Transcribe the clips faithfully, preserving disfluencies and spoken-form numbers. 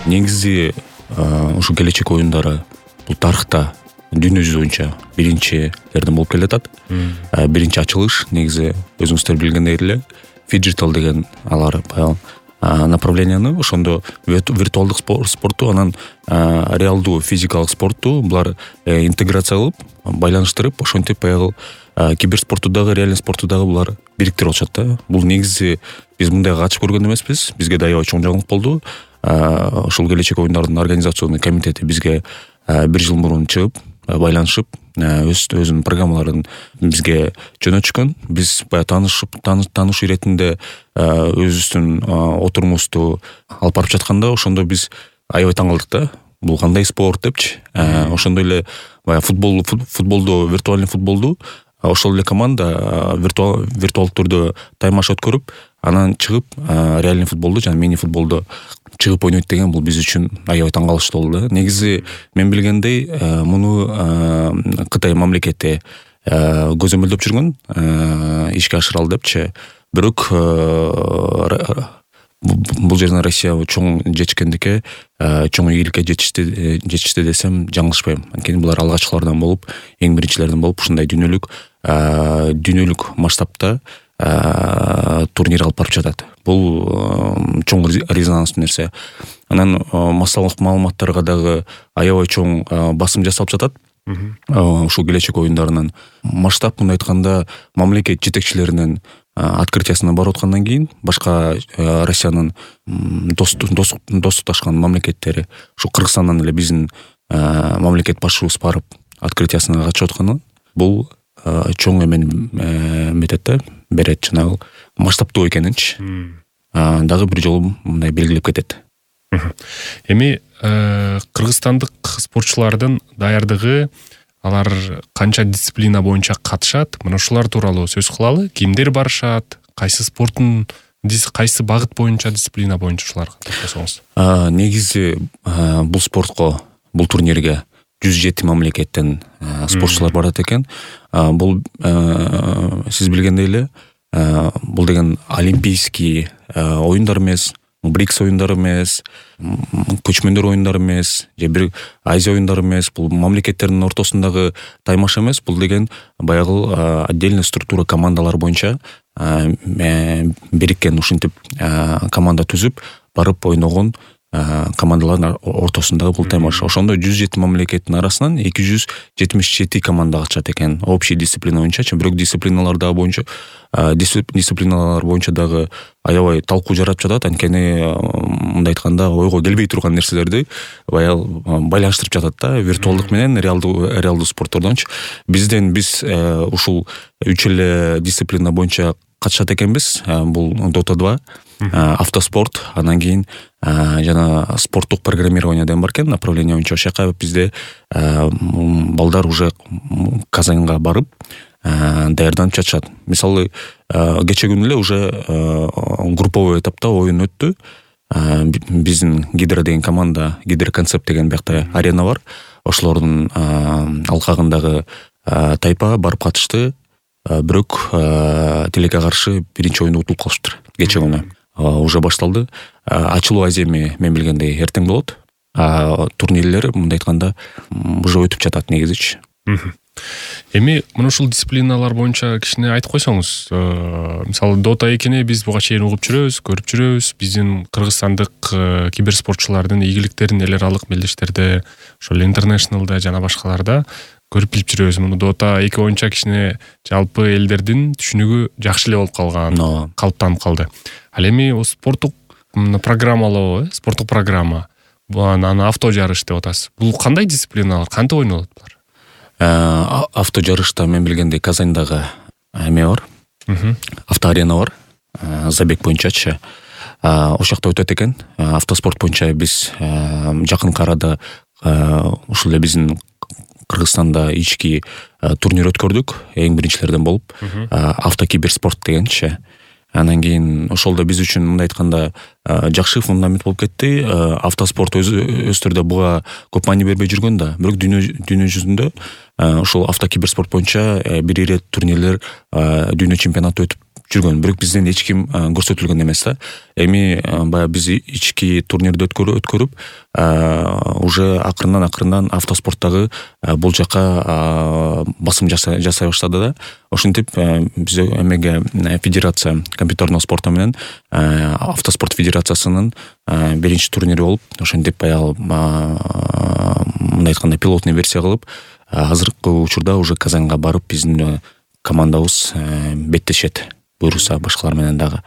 негизи ушу келечек оюндары бул тарыхта дүйнө жүзү боюнча биринчилерден болуп келатат. Биринчи ачылыш негизи өзүңүздөр билгендей эле фиджитал деген алар баягы направленияны ошондо виртуалдык спортту анан реалдуу физикалык спортту булар интеграция кылып байланыштырып ошентип баягы киберспортту дагы реальный спортту дагы булар бириктирип алышат да. Бул негизи биз мындайга катышып көргөн эмеспиз. Бизге да аябай чоң жаңылык болду. Ошол келечек оюндардын организационный комитети бизге бир жыл мурун чыгып байланышып өз өзүнүн программаларын бизге жөнөтүшкөн. Биз баягы таанышып таанышуу иретинде өзүбүздүн отурумубузду алып барып жатканда ошондо биз аябай таң калдык да. Бул кандай спорт депчи. Ошондой эле баягы футбол футболду виртуальный футболду ошол эле команда виртуал виртуалдык түрдө таймаш өткөрүп анан чыгып реальный футболду жана мини футболду чыгып ойнойт деген бул биз үчүн аябай таң калыштуу болду да. Негизи мен билгендей муну Кытай мамлекети көзөмөлдөп жүргөн ишке ашыралы депчи. Бирок бул жерден Россия чоң жетишкендикке, чоң ийгиликке жетишти жетишти десем жаңылышпайм. Анткени булар алгачкылардан болуп, эң биринчилерден болуп ушундай дүйнөлүк дүйнөлүк масштабта турнир алып барып жатат. Бул чоң резонанстуу нерсе. Анан массалык маалыматтарга дагы аябай чоң басым жасалып жатат. Ушул келечек оюндарынын масштаб мындай айтканда мамлекет жетекчилеринин открытиясына барып аткандан кийин башка Россиянын достукташкан мамлекеттери ушу Кыргызстандан эле биздин мамлекет башчыбыз барып открытиясына катышып атканы бул чоң эмени метет да, берет жанагы масштабтуу экенинчи. Дагы бир жолу мындай белгилеп кетет. Эми кыргызстандык спортчулардын даярдыгы, алар канча дисциплина боюнча катышат? Мына ушулар тууралуу сөз кылалы. Кимдер барышат? Кайсы спорттун кайсы багыт боюнча, дисциплина боюнча ушуларга токтосоңуз? Негизи бул спортко, бул турнирге жүз жети мамлекеттен спортчулар барат экен. Бул сиз билгендей эле бул деген олимпийский оюндар эмес, БРИКС оюндары эмес, көчмөндөр оюндары эмес, же бир Азия оюндары эмес, бул мамлекеттердин ортосундагы таймаш эмес, бул деген баягы отдельный структура командалар боюнча бириккен ушинтип команда түзүп барып ойногон командалардын ортосундагы бул таймаш. Ошондо жүз жети мамлекеттин арасынан эки жүз жетимиш жети команда катышат экен. Общий дисциплина боюнча, бирок дисциплиналар дагы боюнча дисциплиналар боюнча дагы аябай талкуу жаратып жатат. Анткени мындай айтканда ойго келбей турган нерселерди баягы байланыштырып жатат да, виртуалдык менен реалдуу реалдуу спорттордончу. Бизден биз ушул үч эле дисциплина боюнча катышат экенбиз. Бул Дота два, автоспорт, анан кийин жана спорттук программирование деген бар экен, направление боюнча. Ошол жака бизде балдар уже Казанга барып даярданып жатышат. Мисалы, кече күнү эле уже групповой этапта оюн өттү. Биздин Гидро деген команда, Гидро концепт деген биякта арена бар. Ошолордун алкагындагы тайпа барып катышты. Бирок Тилекке каршы биринчи оюнду утулуп калышыптыр кече күнү. Уже башталды. Ачылуу аземи мен билгендей эртең болот. Турнирлер мындай айтканда уже өтүп жатат негизичи. Эми мына ушул дисциплиналар боюнча кичине айтып койсоңуз, мисалы Дота экини биз буга чейин угуп жүрөбүз, көрүп жүрөбүз. Биздин кыргызстандык киберспортчулардын ийгиликтерин эл аралык мелдештерде, ошол интернешналда жана башкаларда көрүп билип жүрөбүз. Муну Дота эки боюнча кичине жалпы элдердин түшүнүгү жакшы эле болуп калган, калыптанып калды. Ал эми спорттук программалоо, спорттук программа, анан авто жарыш деп атасыз. Бул кандай дисциплиналар, кантип ойнолот булар? Авто жарышта мен билгендей Казандагы эме бар. Автоарена бар. Забег боюнчачы. Ошол жакта өтөт экен. Автоспорт боюнча биз жакынкы арада ушул эле биздин Кыргызстанда ички турнир өткөрдүк, эң биринчилерден болуп, автокиберспорт дегенчи. Анан кийин ошол да биз үчүн мындай айтканда жакшы фундамент болуп кетти. Автоспорт өз өз түрдө буга көп маани бербей жүргөн да, бирок дүйнө дүйнө жүзүндө ошол автокиберспорт боюнча бир ирет турнирлер, дүйнө чемпионаты өтүп жүргөн, бирок бизден эч ким көрсөтүлгөн эмес да. Эми баягы биз ички турнирди өткөрүп уже акырындан акырындан автоспорттагы бул жака басым жасай баштады да. Ошентип биз эмеге федерация компьютерный спорта менен автоспорт федерациясынын биринчи турнири болуп, ошентип баягы мындай айтканда пилотный версия кылып азыркы учурда уже Казанга барып биздин командабыз беттешет, буюрса башкалар менен дагы.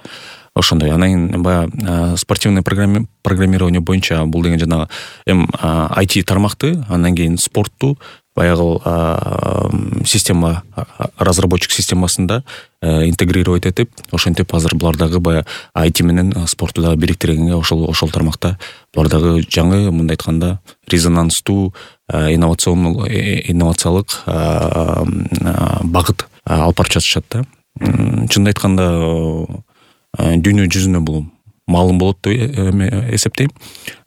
Ошондой. Анан кийин баягы спортивный программирование боюнча бул деген жанагы эм ай ти тармакты, анан кийин спортту баягы система, разработчик системасында интегрировать этип, ошентип азыр булар дагы баягы ай ти менен спортту дагы бириктиргенге ошол ошол тармакта булар дагы жаңы, мындай айтканда, резонанстуу инновацион инновациялык багыт алып барып жатышат да. Чынын айтканда дүйнө жүзүнө бул маалым болот деп эсептейм.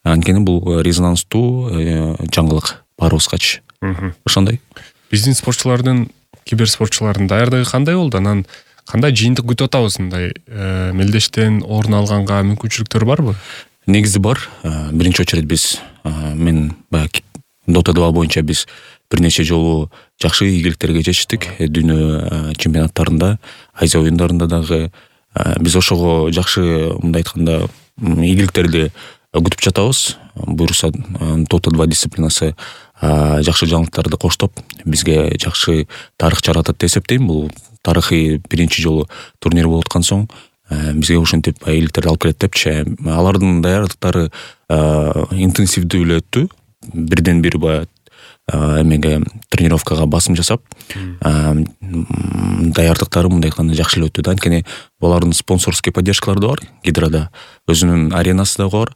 Анткени бул резонанстуу жаңылык баарыбызгачы. Ошондой. Биздин спортчулардын, киберспортчулардын даярдыгы кандай болду? Анан кандай жыйынтык күтүп атабыз? Мындай мелдештен орун алганга мүмкүнчүлүктөр барбы? Негизи бар. Биринчи очередь биз мен баягы Dota два боюнча биз бир нече жолу жакшы ийгиликтерге жетиштик. Дүйнө чемпионаттарында, Азия оюндарында дагы биз ошого жакшы, мындай айтканда, ийгиликтерди күтүп жатабыз. Буюрса Dota два дисциплинасы жакшы жаңылыктарды коштоп, бизге жакшы тарых жаратат деп эсептейм. Бул тарыхый биринчи жолу турнир болуп аткан соң бизге ошентип ийгиликтерди алып келет депчи. Алардын даярдыктары интенсивдүү эле өттү. Бирден бир баягы эмеге тренировкага басым жасап, даярдыктары мындай айтканда жакшы эле өттү да. Анткени булардын спонсорский поддержкалары да бар. Гидрода өзүнүн аренасы да бар.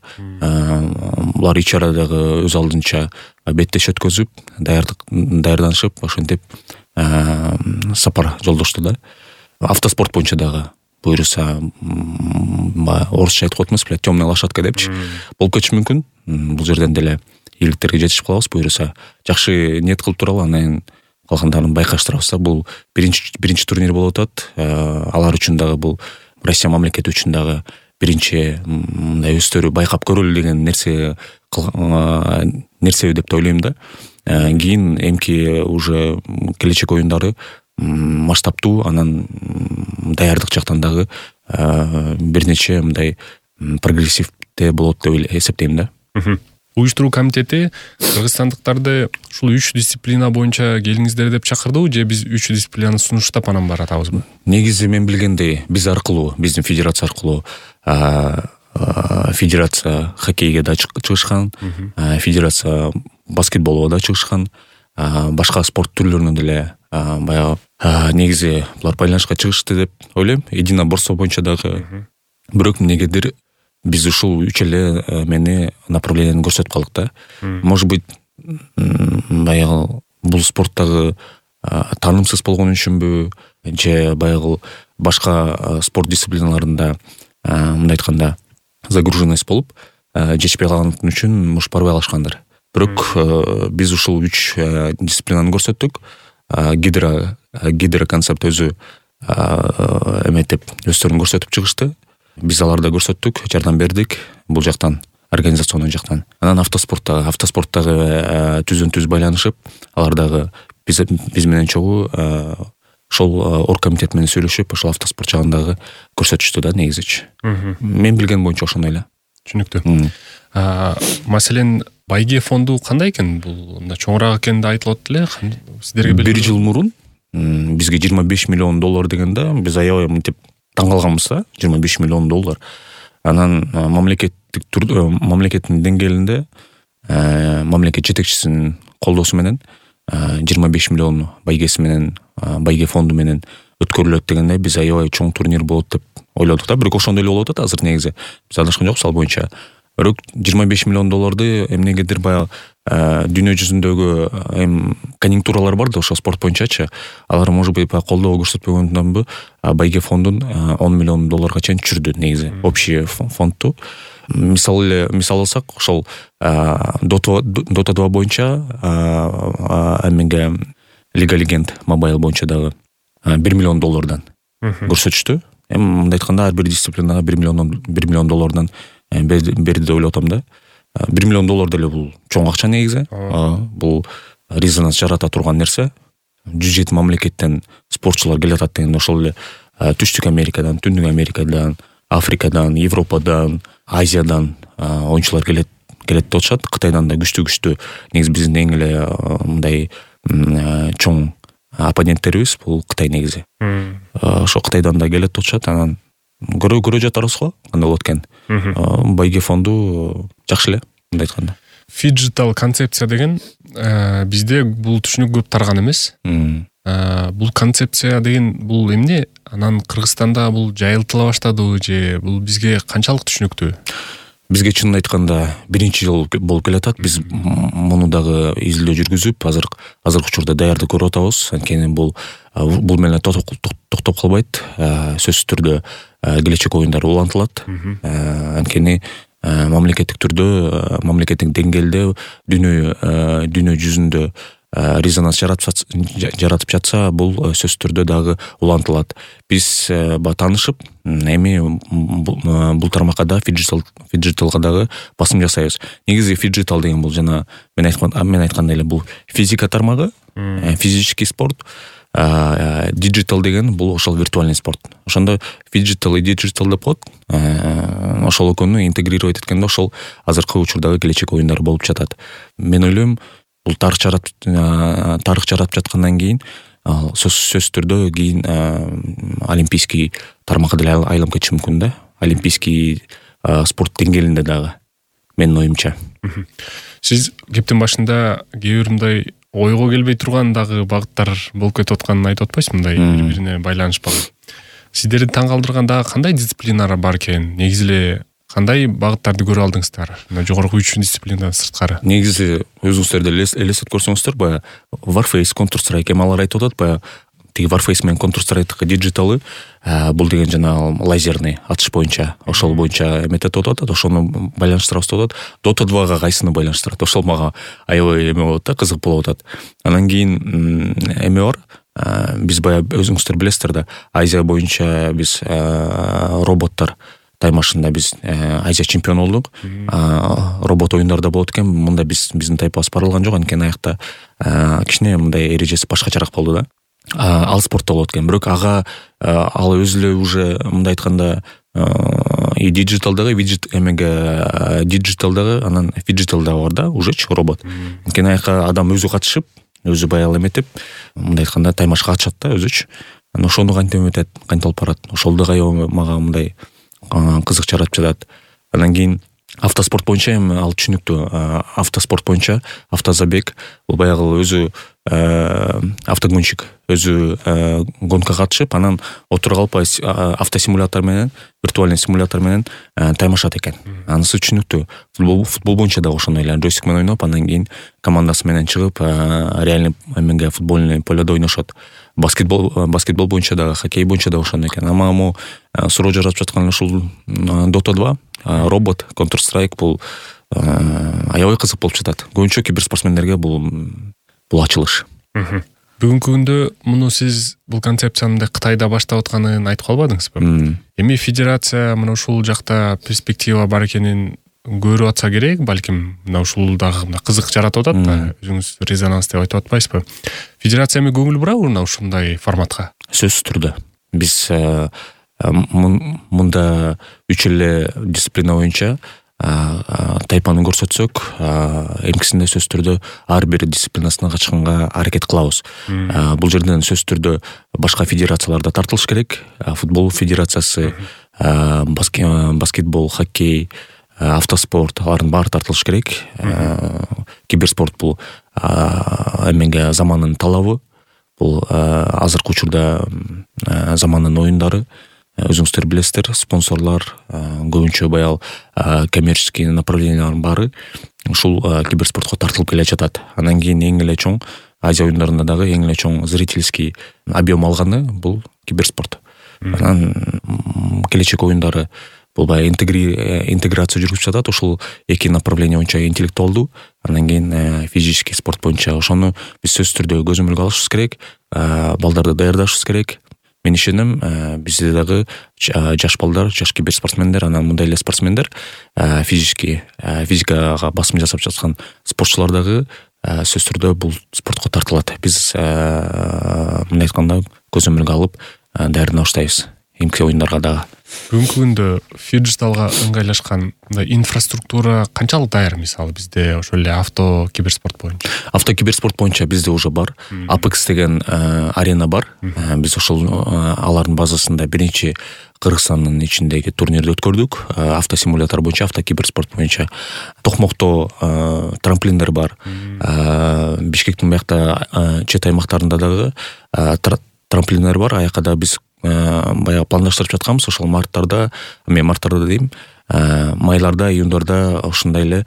Булар ич арадагы өз алдынча беттеш өткөзүп, даярдык даярданышып, ошентип сапар жолдошту да. Автоспорт боюнча дагы буюрса орусча айткып атпайбыз беле, темная лошадка депчи. Болуп кетиши мүмкүн. Бул жерден деле ийгиликтерге жетишип калабыз, буюрса жакшы ниет кылып туралы, анан калгандарын байкаштырабыз да. Бул биринчи биринчи турнир болуп атат. Алар үчүн дагы бул Россия мамлекети үчүн дагы биринчи мындай өздөрү байкап көрөлү деген нерсе нерсе деп ойлойм да. Кийин эмки уже келечек оюндары масштабтуу, анан даярдык жактан дагы бир нече мындай прогрессивде болот деп эсептейм да. Уюштуруу комитети кыргызстандыктарды ушул үч дисциплина боюнча келиңиздер деп чакырдыбы, же биз үч дисциплинаны сунуштап анан баратабызбы? Негизи мен билгендей биз аркылуу, биздин федерация аркылуу федерация хоккейге да чыгышкан, федерация баскетболго да чыгышкан, башка спорт түрлөрүнө деле баягы негизи булар байланышка чыгышты деп ойлойм. Единоборство боюнча дагы. Бирок эмнегедир биз ушул үч эле мени направленияны көрсөтүп калдык да. Может быть, баягы бул спорттагы таанымсыз болгон үчүнбү, же баягы башка спорт дисциплиналарында мындай айтканда загруженность болуп жетишпей калган үчүн муш барбай калышкандыр. Бирок биз ушул үч дисциплинаны көрсөттүк. Гидро гидро концепт өзү эметип өздөрүн көрсөтүп чыгышты. Биз аларды көрсөттүк, жардам бердик бул жактан, организационный жактан. Анан автоспорттагы автоспорттагы түздөн түз байланышып, алар дагы биз биз менен чогуу ошол оргкомитет менен сүйлөшүп, ошол автоспорт жагындагы көрсөтүштү да негизичи. Мен билген боюнча ошондой эле. Түшүнүктүү. Маселен, байге фонду кандай экен? Бул мында чоңураак экени да айтылат эле. Сиздерге бир жыл мурун бизге жыйырма беш миллион доллар дегенде биз аябай мынтип таң калганбыз да. жыйырма беш миллион доллар. Анан мамлекеттик мамлекеттин деңгээлинде мамлекет жетекчисинин колдоосу менен жыйырма беш миллион байгеси менен, байге фонду менен өткөрүлөт дегенде биз аябай чоң турнир болот деп ойлодук да. Бирок ошондой эле болуп атат азыр негизи. Биз адашкан жокпуз ал боюнча. Бирок жыйырма беш миллион долларды эмнегедир баягы дүйнө жүзүндөгү эм конъюнктуралар бар да ошо спорт боюнчачы. Алар может быть колдоо көрсөтпөгөндөнбү байге фондун он миллион долларга чейин түшүрдү негизи общий фондту. Мисал эле мисал алсак, ошол Dota два боюнча эмеге Лига Легенд мобайл боюнча дагы бир миллион доллардан көрсөтүштү. эми мындай айтканда ар бир дисциплинага бир миллион бир миллион доллардан берди деп ойлоп атам да. бир миллион доллар деле бул чоң акча негизи. Бул резонанс жарата турган нерсе. жүз жети мамлекеттен спортчулар келатат дегенде ошол эле Түштүк Америкадан, Түндүк Америкадан, Африкадан, Европадан, Азиядан оюнчулар келет келет деп атышат. Кытайдан да күчтүү-күчтүү негизи биздин эң эле мындай чоң оппоненттерибиз бул Кытай негизи. Ошо Кытайдан да келет деп атышат. Анан көрө көрө жатарбыз го кандай болот экен. Байге фонду жакшы эле мындай айтканда. Фиджитал концепция деген бизде бул түшүнүк көп тарган эмес. Бул концепция деген бул эмне? Анан Кыргызстанда бул жайылтыла баштадыбы же бул бизге канчалык түшүнүктүү? Бизге чынын айтканда биринчи жыл болуп келатат. Биз муну дагы изилдөө жүргүзүп, азыр азыркы учурда даярдык көрүп атабыз. Анткени бул бул менен токтоп калбайт. Сөзсүз түрдө келечек оюндары улантылат. Анткени мамлекеттик түрдө, мамлекеттик деңгээлде дүйнө дүйнө жүзүндө резонанс жаратып жатса, бул сөзсүз түрдө дагы улантылат. Биз ба таанышып, эми бул тармакка да фиджитал фиджиталга дагы басым жасайбыз. Негизи фиджитал деген бул жана мен айткандай эле бул физика тармагы, физический спорт. Диджитал деген бул ошол виртуальный спорт. Ошондо фиджитал и диджитал деп коет. Ошол экөөнү интегрировать эткенде ошол азыркы учурдагы келечек оюндар болуп жатат. Мен ойлойм, бул тарых жаратып тарых жаратып жаткандан кийин сөзсүз түрдө кийин олимпийский тармакка деле айланып кетиши мүмкүн да. Олимпийский спорт деңгээлинде дагы менин оюмча. Сиз кептин башында кээ бир мындай ойго келбей турган дагы багыттар болуп кетип атканын айтып атпайсызбы, мындай бири-бирине байланышпаган. Сиздерди таң калтырган дагы кандай дисциплиналар бар экен? Негизи эле кандай багыттарды көрүп алдыңыздар? Мына жогорку үч дисциплинадан сырткары. Негизи өзүңүздөр деле элестетип көрсөңүздөр, баягы Warface, Counter-Strike эми алар айтып атат, баягы тиги Warface менен Counter-Strike диджиталы бул деген жана лазерный атыш боюнча, ошол боюнча эметет деп атат, ошону байланыштырабыз деп атат. Dota двага кайсыны байланыштырат? Ошол мага аябай эме болот да, кызык болуп атат. Анан кийин эме бар. Биз баягы өзүңүздөр билесиздер да, Азия боюнча биз роботтор таймашында биз Азия чемпиону болдук. Робот оюндарда болот экен. Мында биз биздин тайпабыз барылган жок, анткени аякта кичине мындай эрежеси башкачараак болду да. Ал спортто болот экен. Бирок ага ал өзү эле уже мындай айтканда и диджиталдагы виджет эмеге диджиталдагы анан фиджиталдагы бар да, ужечи робот. Анткени аяка адам өзү катышып, өзү баягы эметип, мындай айтканда таймашка катышат да өзүчү. Анан ошону кантип эметет, кантип алып барат. Ошол да мага мындай кызык жаратып жатат. Анан кийин автоспорт боюнча эми ал түшүнүктүү. Автоспорт боюнча автозабег бул баягы өзү автогонщик өзү гонкага катышып, анан отура калып автосимулятор менен, виртуальный симулятор менен таймашат экен. Анысы түшүнүктүү. Футбол футбол боюнча да ошондой эле джойстик менен ойноп, андан кийин командасы менен чыгып реальный эмеге футбольный поледо ойношот. Баскетбол баскетбол боюнча да, хоккей боюнча да ошондой экен. Ама могу суроо жаратып жаткан ушул Dota два, робот, Counter-Strike бул аябай кызык болуп жатат. Көбүнчө киберспортсмендерге бул бул ачылыш. Бүгүнкү күндө муну сиз бул концепцияны Кытайда баштап атканын айтып калбадыңызбы? Эми федерация мына ушул жакта перспектива бар экенин көрүп атса керек, балким мына ушул дагы кызык жаратып атат да, өзүңүз резонанс деп айтып атпайсызбы? Федерация эми көңүл бурабы мына ушундай форматка? Сөзсүз түрдө. Биз мында үч эле дисциплина боюнча тайпаны көрсөтсөк, эмкисинде сөзсүз түрдө ар бир дисциплинасына качканга аракет кылабыз. Бул жерден сөзсүз түрдө башка федерациялар да тартылыш керек. Футбол федерациясы, баскетбол, хоккей, автоспорт, алардын баары тартылыш керек. Киберспорт бул эмеге замандын талабы. Бул азыркы учурда замандын оюндары. Өзүңүздөр билесиздер, спонсорлор көбүнчө баял коммерческий направлениялардын баары ушул киберспортко тартылып келе жатат. Андан кийин эң эле чоң Азия оюндарында дагы эң эле чоң зрительский объем алганы бул киберспорт. Анан келечек оюндары бул баягы интеграция жүргүзүп жатат. Ушул эки направление боюнча интеллектуалдуу, андан кийин физический спорт боюнча. Ошону биз сөзсүз түрдө көзөмөлгө алышыбыз керек, балдарды даярдашыбыз керек. мен ишенем, бизде дагы жаш балдар, жаш киберспортсмендер, анан мындай эле спортсмендер, физически физикага басым жасап жаткан спортчулар дагы сөзсүз түрдө бул спортко тартылат. Биз мындай айтканда көзөмөлгө алып даярдана баштайбыз эмки оюндарга дагы. Бүгүнкү күндө фиджиталга ыңгайлашкан мындай инфраструктура канчалык даяр? Мисалы бизде ошол эле авто киберспорт боюнча. Авто киберспорт боюнча бизде уже бар. Apex деген арена бар. Биз ошол алардын базасында биринчи Кыргызстандын ичиндеги турнирди өткөрдүк. Авто симулятор боюнча, авто киберспорт боюнча. Токмокто трамплиндер бар. Бишкектин биякта чет аймактарында дагы трамплиндер бар. Аяка да биз баягы пландаштырып жатканбыз. Ошол марттарда, мен марттарда дейм, майларда, июндарда ушундай эле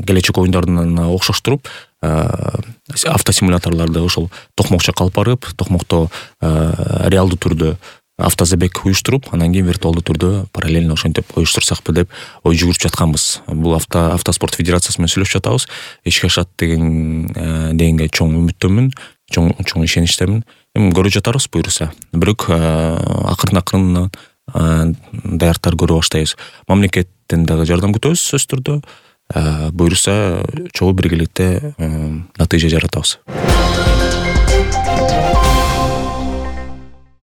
келечек оюндарына окшоштуруп автосимуляторлорду ошол токмокча алып барып, токмокто реалдуу түрдө автозабег уюштуруп, анан кийин виртуалдуу түрдө параллельно ошентип уюштурсакпы деп ой жүгүрүп жатканбыз. Бул авто автоспорт федерациясы менен сүйлөшүп жатабыз. Ишке ашат деген дегенге чоң үмүттөмүн, чоң чоң ишеничтемин. Эми көрүп жатарбыз буюрса. Бирок акырын-акырын даярдыктар көрө баштайбыз. Мамлекеттен дагы жардам күтөбүз сөзсүз түрдө. Буюрса чогуу биргеликте натыйжа жаратабыз.